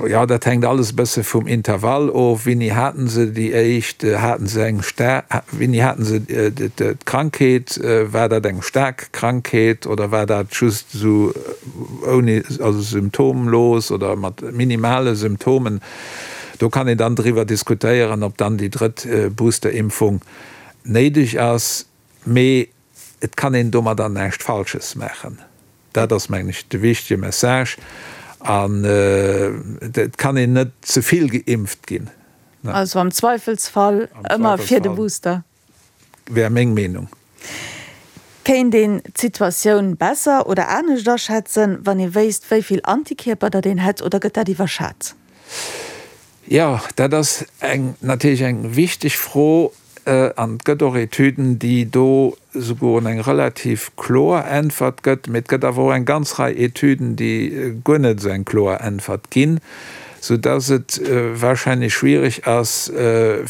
Jo, dat hänkt alles e bësse vum Intervall of. Wéini haten se déi éischt? Haten se eng star-, wéini haten se d'Krankheet? War dat eng staark Krankheet oder war dat just esou ouni, also symptomlos oder mat minimale Symptomen? Do kann een dann driwwer diskutéieren, ob dann déi drëtt Boosterimpfung néideg ass. Mee et kann een domadder näischt Falsches maachen. Dat ass, mengen ech, de wichtege Message. An et kann een net ze vill geimpft ginn. Also am Zweifelsfall ëmmer fir de Booster? Wär meng Meenung. Kéint een d'Situatioun besser oder anescht aschätzen, wann ee wéisst, wéi vill Antikierper datt een hätt, oder gëtt dat iwwerschat? Jo, dat ass eng natierlech eng wichteg Fro. An et gëtt och Etüden, déi do souguer eng relativ kloer Äntwert gëtt. Mee et gëtt awer och eng ganz Rei Etüden, déi guer net esou eng kloer Äntwert ginn, soudass et wahrscheinlech schwierig ass,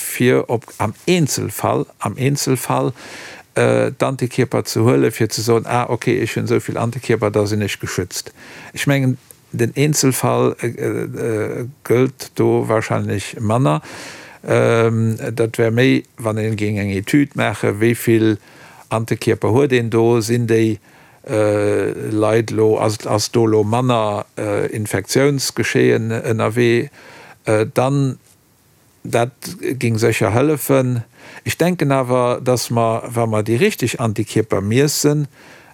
fir op am Eenzelfall, am Eenzelfall d'Antikierper ze huelen, fir ze soen, ah okay, ech hunn esou vill Antikierper, da sinn ech geschützt. Ech mengen, den Eenzelfall gëllt do wahrscheinlech manner. Dat wär méi, wann een géing eng Etüd maachen, wéi vill Antikierper huet een do, sinn déi Leit elo, ass do elo manner Infektiounsgeschehen ënnerwee, dann, dat géing sécher hëllefen. Ech denken awer, dass mer, wa mer déi richteg Antikierper miessen,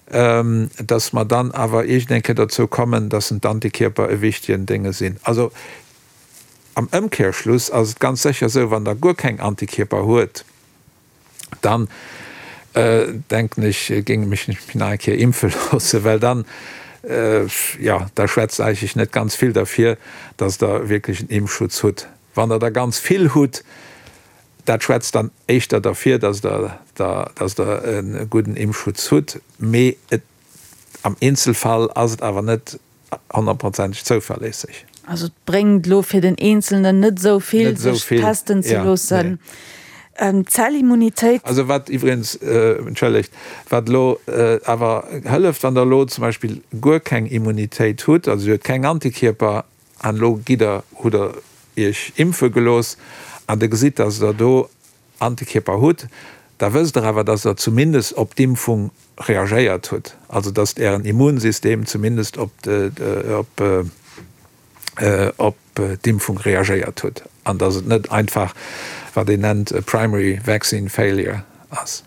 dass mer dann awer iergendeng Kéier dozou kommen, dass d'Antikierper e wichtegen Dénge sinn. Also am Ëmkehrschluss ass et ganz sécher esou, wann Der guer keng Antikierper huet, dann denken ech, géing mech nach eng Kéier impfe loossen, well dann, jo, da schwätzt eigentlech net ganz vill derfir, dass Der wierklech en Impfschutz hutt. Wann Der der ganz vill hutt, dat schwätzt dann éischter derfir, dass Der, dass Der e gudden Impfschutz hutt, mee et, am Eenzelfall ass et awer net honnertprozenteg zouverléisseg. Also et bréngt elo fir den Eenzelnen net esou vill, sech testen ze loossen. D'Zellimmunitéit. Also wat iwwregens, entschëllegt, wat elo awer hëlleft, wann Der elo zum Beispill guer keng Immunitéit hutt, also Dir hutt keng Antikierper an elo gitt Der, hutt Der Iech impfe gelooss an Der gesitt, dass Der do Antikierper hutt, da wësst Der awer, dass Der zumindest op d'Impfung reagéiert hutt, also dass Ären Immunsystem zumindest op op d'Impfung reagéiert hutt an dass et net einfach, wat een nennt, e primary vaccine failure ass.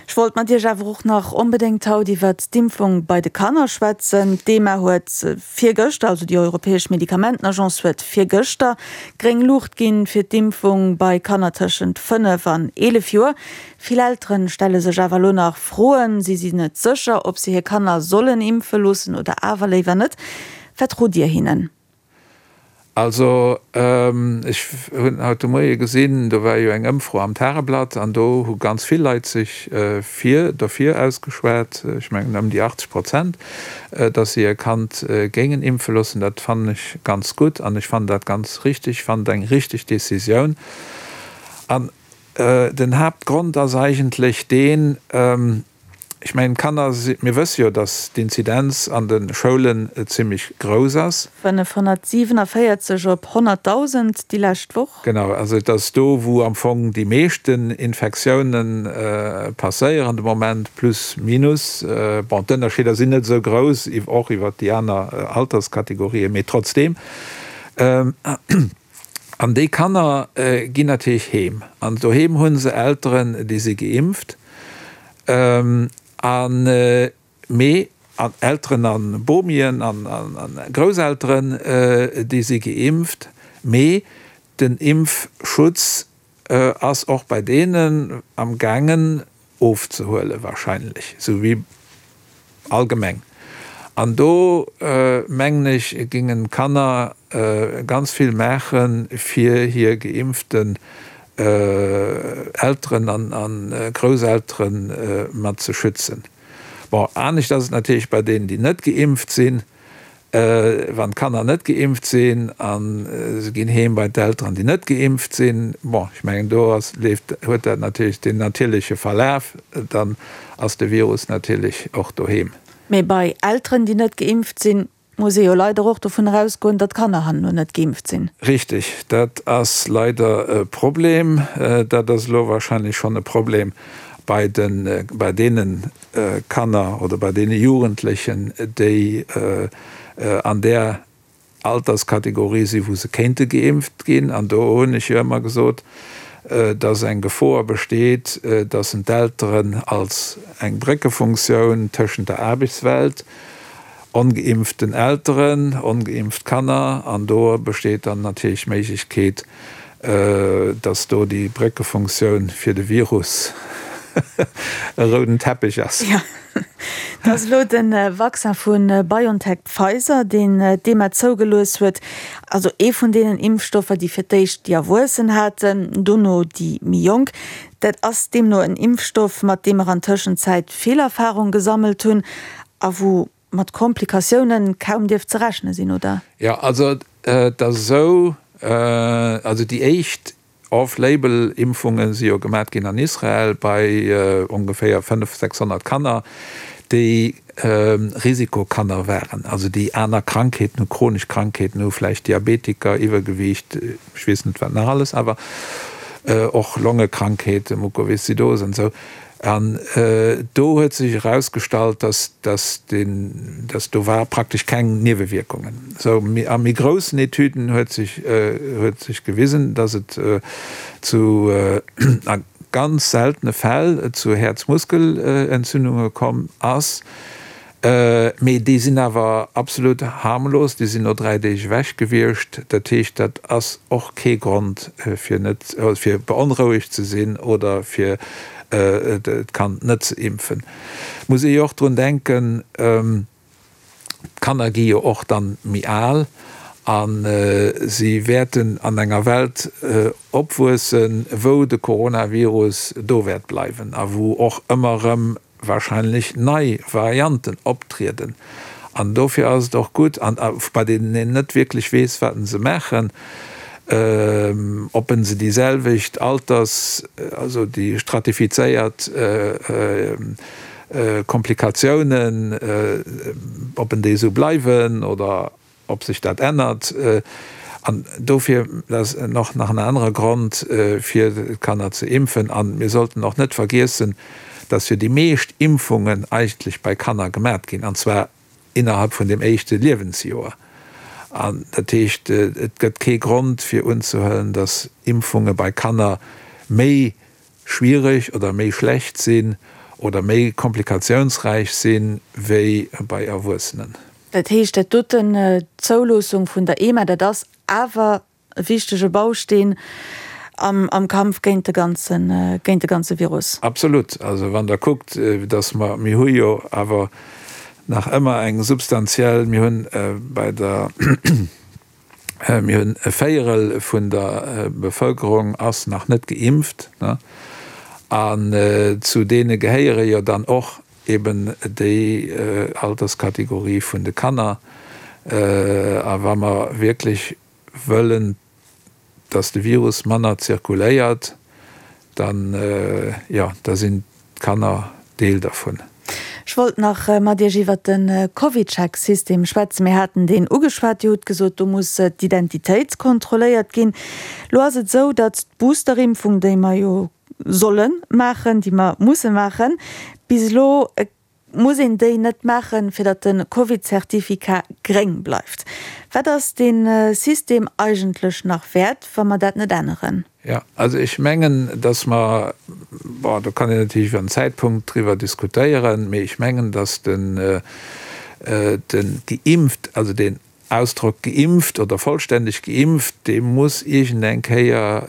Ech wollt mat Iech awer och nach onbedéngt haut iwwert d'Impfung bei de Kanner schwätzen. D'EMA huet virgëschter, also déi europäesch Medikamentenagence huet virgëschter gréng Luucht ginn fir d'Impfung bei Kanner tëschent fënnef an eelef Joer. Vill Eltere stelle sech awer elo nach Froen. Si sinn net sécher, ob se hir Kanner sollen impfe loossen oder awer léiwer net. Wat rot Dir hinnen? Also ech hunn haut de Moie gesinn, do war jo eng Ëmfro am Tageblatt an do hu ganz vill Leit sech fir derfir ausgeschwat, ech mengen ëm déi achtzeg Prozent, datt se hir Kand géingen impfe loossen. Dat fannen ech ganz gutt an ech fannen dat ganz richtig, ech fannen et eng richtig Décisioun. An den Haaptgrond ass eigentlech deen, Ech mengen, d'Kanner, mir wësse jo, datt d'Inzidenz an de Schoulen zimlech grouss ass. fënnefhonnertsiewenavéierzeg op honnertdausend déi lescht Woch. Genau, also et ass do, wou am Fong déi meeschten Infektiounen passéieren de Moment, plus minus. Bon, d'Ënnerscheeder sinn net esou grouss, och iwwert déi aner Alterskategorien, mee trotzdeem. An déi Kanner ginn natierlech heem. An doheem hu se Elteren, déi si geimpft. An mee an Elteren an Bomien an Grousselteren, déi si geimpft, mee den Impfschutz ass och bei deenen am gaangen ofzehuele wahrscheinlech, esou wéi allgemeng. An do mengen ech gingen d'Kanner ganz vill maache fir hir geimpften Elteren an Grousselteren mat ze schützen. Bon, anescht ass et natierlech bei deenen, déi net geimpft sinn. Wann d'Kanner net geimpft sinn a se ginn heem bei d'Elteren, déi net geimpft sinn, bon, ech mengen, do ass, leeft, huet dat natierlech deen natierleche Verlaf, dann ass de Virus natierlech och doheem. Mee bei Elteren, déi net geimpft sinn, muss ee jo leider och dovun erausgoen, datt d'Kanner herno net geimpft sinn. Richtig, dat ass leider e Problem. Dat ass elo wahrscheinlech schonn e Problem bei den, bei deene Kanner oder bei deene Jugendlechen, déi an där Alterskategorie sinn, wou se kéinte geimpft ginn. An do hunn ech jo ëmmer gesot, dass eng Gefor besteet, dass en d'Elteren als eng Bréckefunktioun tëschent der Aarbechtswelt, ongeimpften Elteren, ongeimpft Kanner, an do besteet dann natierlech d'Méiglechkeet, dass do déi Bréckefunktioun fir de Virus e rouden Teppich ass. Jo, et ass elo de Vaccin vu BioNTech-Pfizer, deen d'EMA zougelooss huet. Also ee vun deenen Impfstoffer, déi fir d'éischt déi Erwuessen haten, dono déi méi Jonk. Dat ass deemno en Impfstoff, mat deem mer an Tëschenzäit vill Erfarung gesammelt hunn a wou mat Komplikatiounen kaum dierft ze rechne sinn, oder? Jo, also et ass esou, also déi éischt Off-Label-Impfunge si jo gemat ginn an Israel bei ongeféier fënnef, sechshonnert Kanner, déi Risikokanner waren, also déi aner Krankheeten hu, chronesch Krankheeten hu, vläicht Diabetiker, Iwwergewiicht, ech weess net wat nach alles, awer och Longekrankheeten, Mukoviszidose an esou. An do huet sech erausgestallt, dass, dass den, dass do war praktesch keng Niewewierkungen. Sou, a méi groussen Etüden huet sech, huet sech gewisen, dass et zu, a ganz seltene Fäll zu Häerzmuskelentzündunge komm ass. Mee déi sinn awer absolut harmlos, déi sinn no dräi Deeg ewech gewiescht. Dat heescht, dat ass och kee Grond fir net, fir beonrouegt ze sinn oder fir d'Kand net ze impfen. Muss ee jo och drun denken, d'Kanner gi jo och dann méi al a si wäerten an enger Welt opwuessen, wou de Coronavirus do wäert bleiwen a wou och ëmmer erëm wahrscheinlech nei Varianten optrieden. An dofir ass et och gutt, an bei deenen een net wierklech weess, wat se maachen, ob se déi selwecht Alters-, also déi stratifizéiert Komplikatiounen, ob déi esou bleiwen oder ob sech dat ännert. An dofir, dat ass och nach en anere Grond, fir d'Kanner ze impfen. A mir sollten och net vergiessen, dass jo déi meescht Impfungen eigentlech bei Kanner gemat ginn, an zwar innerhalb vun dem éischte Liewensjoer. An dat heescht, et gëtt kee Grond fir unzehuelen, dass Impfunge bei Kanner méi schwierig oder méi schlecht sinn oder méi komplikatiounsräich sinn wéi bei Erwuessenen. Dat heescht, dat doten, d'Zouloossung vun der EMA, dat ass awer e wichtege Bausteen am, am Kampf géint de ganzen, géint de ganze Virus. Absolut. Also wann Der kuckt, dass mer, mir hu jo awer nach ëmmer eng substantiell, mir hunn bei der, mir hunn e Véierel vun der Bevëlkerung ass nach net geimpft, ne, an zu deene gehéiere jo dann och eben déi Alterskategorie vun de Kanner. A wa mer wierklech wëllen, dass de Virus manner zirkuléiert, dann, jo, da sinn d'Kanner Deel dervun. Ech wollt nach mat Iech iwwert de CovidCheck-System schwätzen. Mir haten deen ugeschwat. Dir hutt gesot, do muss d'Identitéit kontrolléiert ginn. Elo ass et esou, datt d'Boosterimpfung, déi mer jo solle maachen, déi mer musse maachen, bis elo muss een déi net maachen, fir datt de Covid-Certificat gréng bleift. Wat ass dee System eigentlech nach wäert, wa mer dat net änneren? Jo, also ech mengen, datt mer, bon, do kann een natierlech iwwer den Zäitpunkt driwwer diskutéieren, mee ech mengen, datt den, den geimpft, also deen Ausdrock geimpft oder vollstänneg geimpft, dee muss iergendeng Kéier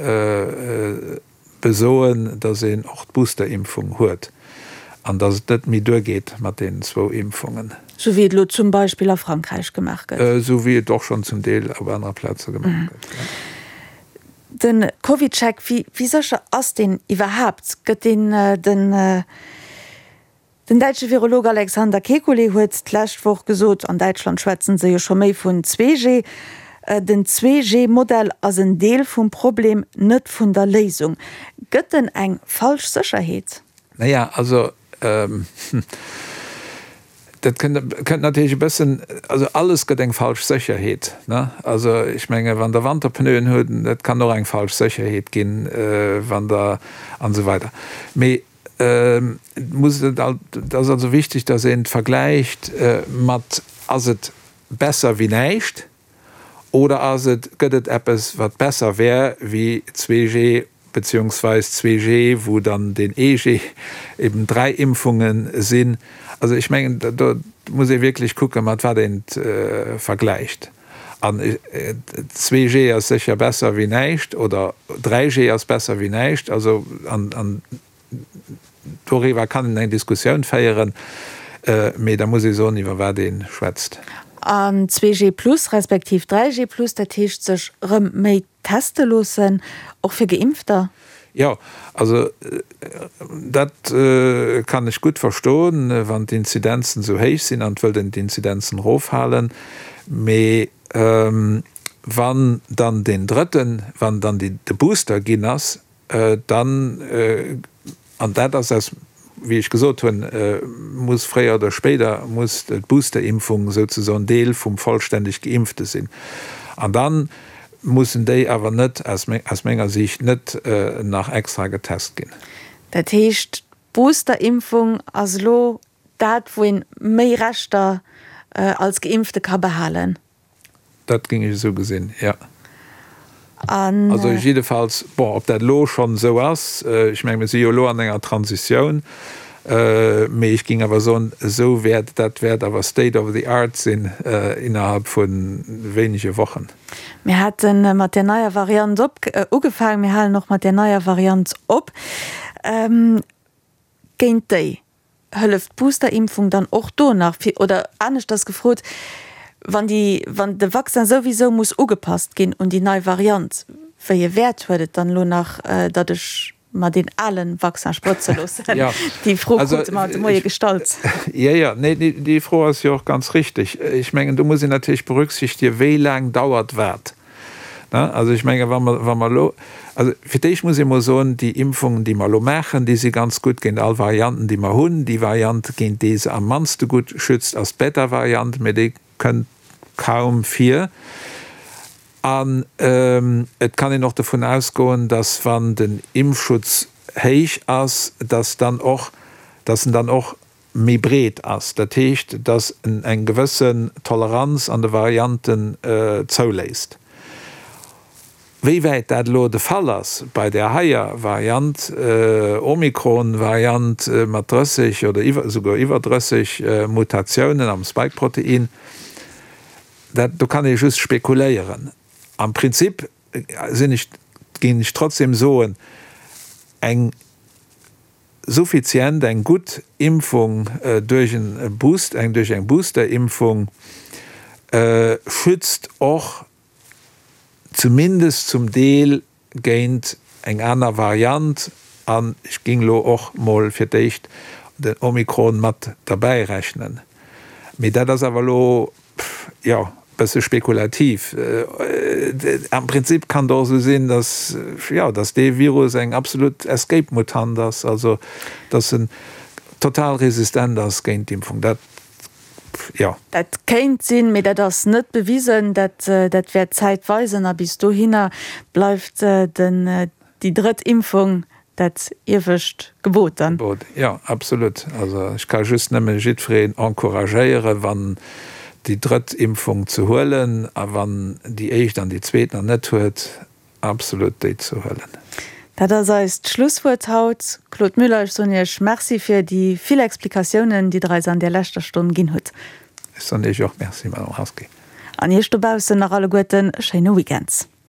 besoen, datt een och d'Boosterimpfung huet an datt et net méi duergeet mat deenen zwou Impfungen. Sou wéi et elo zum Beispill a Frankräich gemaach gëtt. Sou wéi et och schonn zum Deel op anere Plaze gemaach gëtt, jo. De CovidCheck, wéi sécher ass deen iwwerhaapt? Gëtt deen den. Den däitsche Virolog Alexander Kekulé huet d'lescht Woch gesot, an Däitschland schwätzen se jo scho méi vun zwee G, den zwee G Modell ass en Deel vum Problem, net vun der Léisung. Gëtt en eng falsch Sécherheet? Naja, also dat kënnt natierlech e bëssen, also alles gëtt eng falsch Sécherheet, ne? Also ech menge wann Der Wanterpneuen hutt, dat kann och eng falsch Sécherheet ginn, wann Der, an esou weider. Mee Et muss et ass also wichteg, dass een et vergläicht mat, Ass et besser wéi näischt oder ass et, gëtt et eppes, wat besser wär wéi zwee G beziehungsweis zwee G, wou dann deen ee G eben dräi Impfunge sinn. Also ech mengen, do muss ee wierklech kucken, mat wat een et vergläicht. An zwee G ass sécher besser wéi näischt oder dräi G ass besser wéi näischt. Also an doriwwer kann een eng Diskussioun féieren, mee da muss ee soen, iwwer wat ee schwätzt. An zwee G plus respektiv dräi G plus, dat heescht sech erëm méi teste loossen, och fir Geimpfter? Jo, also dat kann ech gutt verstoen, wann d'Inzidenzen esou héich sinn an et wëllt een d'Inzidenzen erofhalen. Mee wann dann deen drëtten, wann dann de Booster ginn ass, dann, an dat ass aus, wéi ech gesot hunn, muss fréier oder spéider muss d'Boosterimpfung souzesoen Deel vum vollstänneg Geimpfte sinn. An da mussen déi awer net, aus menger Siicht, net nach extra getest ginn. Dat heescht, d'Boosterimpfung ass elo dat, wou een méi Rechter als Geimpfte ka behalen? Dat géing ech esou gesinn, jo. Also jiddefalls, bon, ob dat elo schonn esou ass, ech menge mir si jo elo an enger Transitioun Mee ech géing awer soen, esou wäert, dat wäert awer State of the Art sinn innerhalb vu wéinege Wochen. Mir hate mat där neier Variant op, ugefaangen, mir halen och mat där neier Variant op. Géint déi hëlleft d'Boosterimpfung dann och do nach fir, oder aneschters gefrot, wann déi, wann de Vaccin souwisou muss ugepasst ginn un déi nei Variant, wéi e Wäert huet et dann elo nach, datt ech mer deen alen Vaccin sprëtze loossen? Déi Fro krute mer haut de Moie gestallt. Jo, jo, nee, déi Fro ass jo och ganz richtig. Ech mengen, do muss een natierlech berücksichtigen, wéi laang dauert wat. Also ech menge wa mer, wa mer elo, also fir d'éischt muss ee mol soen, déi Impfungen, déi mer elo maachen, déi si ganz gutt géint all Varianten, déi mer hunn. Déi Variant, géint déi se am mannste gutt schützt, ass d'Beta-Variant, mä déi kënnt kaum vir. An et kann een och dovun ausgoen, dass wann den Impfschutz héich ass, dass dann och, dass en dann och méi breet ass, dat heescht, dass en eng gewëssen Toleranz an de Varianten zouléisst. Wéi wäit dat elo de Fall ass bei där heier Variant, Omikron-Variant mat drësseg oder iwwer, esouguer iwwer drësseg Mutatiounen am Spike-Protein, dat, do kann ee just spekuléieren. Am Prinzip sinn ech, géing ech trotzdem soen, eng suffizient, eng gutt Impfung duerch en Boost, eng duerch eng Boosterimpfung schützt och zumindest zum Deel géint eng aner Variant, an ech géing elo och mol fir d'éischt den Omikron mat derbäi rechnen. Mee dat ass awer elo, jo, e bësse spekulativ. Am Prinzip kann et och esou sinn, dass, jo, dass dee Virus eng absolut Escape-Mutant ass, also dass en total resistent ass géint d'Impfung. Dat jo. Dat kéint sinn, mee dat ass net bewisen. Dat, dat wäert d'Zäit weisen. A bis dohinner bleift den, déi drëtt Impfung dat iewescht Gebot dann. Gebot, jo, absolut. Also ech ka just nëmme jiddwereen encouragéieren, wann déi drëtt Impfung ze huelen, a wann déi éischt an déi zweet nach net huet, absolut déi ze huelen. Dat ass eist Schlusswuert haut. Claude Muller, ech soen Iech Merci fir déi vill Explikatiounen, déi Der eis an där leschter Stonn ginn hutt. Ech soen Iech och Merci, Madame Rasqué. An Iech dobaussen nach alleguerten e schéine Weekend.